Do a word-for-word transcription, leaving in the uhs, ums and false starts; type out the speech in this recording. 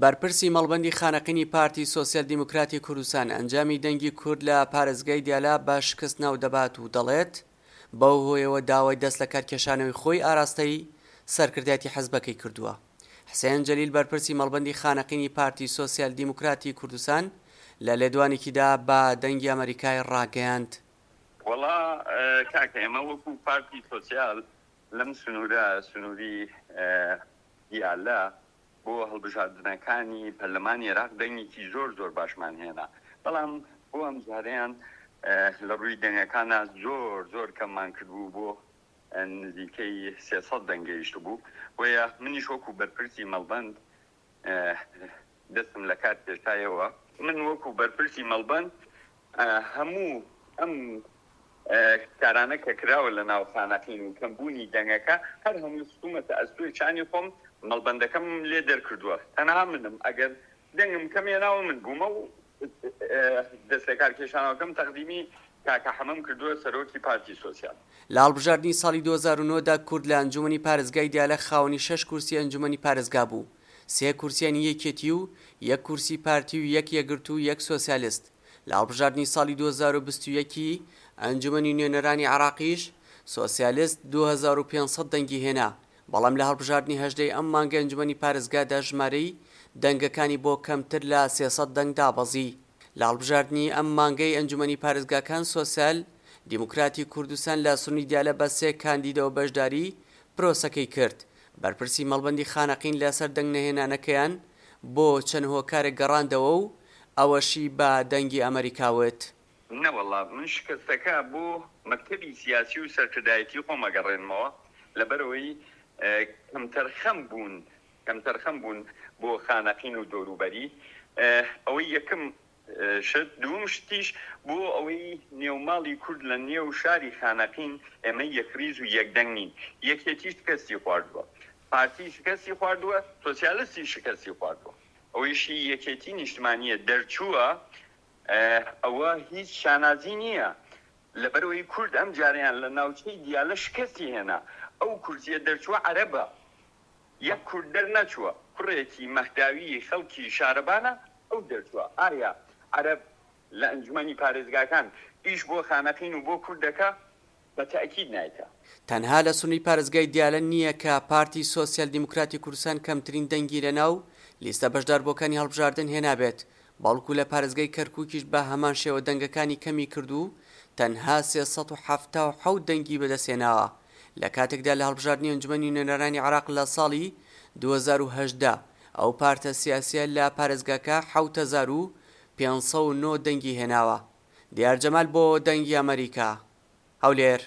بەرپرسی مەڵبەندی خانەقینی پارتی سۆسیال دیموکراتی کوردستان ئەنجامی دەنگی کورد لە پارێزگای دیالە بە شکست ناودەبات و دەڵێت، بەو هۆیەوە داوای دەست لەکارکێشانەوەی خۆی ئاراستەی سەرکردایەتی حزبەکەی کردووە. حسێن جەلیل بەرپرسی مەڵبەندی خانەقینی پارتی سۆسیال دیموکراتی کوردستان لە لێدوانێکیدا بە دەنگی ئەمەریکای ڕاگەیاند، وەڵا کاکە ئێمە وەکو پارتی سۆسیال لەم سنوورە، سنووری دیالە، بۆ هەڵبژاردنەکانی پەرلەمانی عێراق دەنگێکی زۆر زۆر باشمان هێنا، بەڵام بۆ ئەمجارەیان لە ڕووی دەنگەکانە زۆر زۆر کەممان کردبوو، بۆ نزیکەی سێ سەد دەنگ گەیشتبوو. بۆیە منیش وەکو بەرپرسی مەڵبەند دەستم لە کار کێشایەوە. من وەکو بەرپرسی مەڵبەند هەموو ئەم کارانە کە کراوە لە ناو خانەقین و کەمبوونی دەنگەکە هەر هەمووی خستوومەتە ئەستۆی چانی خۆم، مەڵبەندەکەم لێ دەرکردووە، تەنها منم ئەگەر دەنگم کەم هێناوە من بوومە و دەست لەکار کێشانەوەکەم تەقدیمی کاکە حەمەم کردووە سەرۆکی پارتی سۆسیال. لە هەڵبژاردنی ساڵی دوو هەزار و نۆ دا کورد لە ئەنجومەنی پارێزگای دیالە خاوەنی شەش کورسی ئەنجومەنی پارێزگا بوو، سێ کورسیانی یەکێتی و یەک کورسی پارتی و یەک یەکگرتوو و یەک سۆسیالست. لە هەڵبژاردنی ساڵی دوو هەزار و بیست و یەک ی ئەنجومەنی نوێنەرانی عێراقیش سۆسیالست دوو هەزار و پێنج سەد دەنگی هێنا، بەڵام لە هەڵبژاردنی هەژدە ی ئەم مانگەی ئەنجومەنی پارێزگادا ژمارەی دەنگەکانی بۆ کەمتر لە سێ سەد دەنگ دابەزی. لە هەڵبژاردنی ئەم مانگەی ئەنجومەنی پارێزگاکان سۆسیال دیموکراتی کوردستان لە سنووری دیالە بە سێ کاندیدەوە بەشداری پرۆسەکەی کرد. بەرپرسی مەڵبەندی خانەقین لەسەر دەنگ نەهێنانەکەیان بۆ چەند هۆکارێک گەڕاندەوە و ئەوەشی بە دەنگی ئەمەریکا وت. نەوەڵا من شکستەکە بۆ مەکتەبی سیاسی و سەرکردایەتی خۆم ئەگەڕێنمەوە، لەبەرئەوەی کەمتەرخەم بوون، کەمتەرخەم بوون بۆ خانەقین و دەوروبەری، ئەوەی یەکەم شت، دووەم شتیش بۆ ئەوەی نێوماڵی کورد لە نێو شاری خانەقین ئێمە یەکڕیز و یەکدەنگ نین، یەکێتی شکستی خواردووە، پارتی شکستی خواردووە، سۆسیالستی شکستی خواردووە، ئەوەیشی یەکێتی نیشتمانییە دەرچووە ئەوە هیچ شانازی نییە، لەبەرئەوەی کورد ئەمجارەیان لە ناوچەی دیالە شکستی هێنا، ئەو کورسیە دەرچووە عەرەبە، یەک کورد دەرنەچووە، کوڕێکی مەهداوی خەڵکی شارەبانە ئەو دەرچووە، ئایا عەرەب لە ئەنجومەنی پارێزگاکان ئیش بۆ خانەقین و بۆ کورد دەکا؟ بە تەئکید نایکا. تەنها لە سنووری پارێزگای دیالە نییە کە پارتی سۆسیال دیموکراتی کوردستان کەمترین دەنگی لەناو لیستە بەشداربووەکانی هەڵبژاردن هێنابێت، بەڵکو لە پارێزگای کەرکوکیش بە هەمان شێوە دەنگەکانی کەمی کرد و تەنها سێ سەد و حەفتا و حەوت دەنگی بەدەستهێناوە لە کاتێکدا لە هەڵبژاردنی ئەنجومەنی نوێنەرانی عێراق لە ساڵی دوو هەزار و هەژدە ئەو پارتە سیاسیە لە پارێزگاکە حەوت هەزار و پێنج سەد و نۆ دەنگی هێناوە. دیار جەمال بۆ دەنگی ئەمەریکا، هەولێر.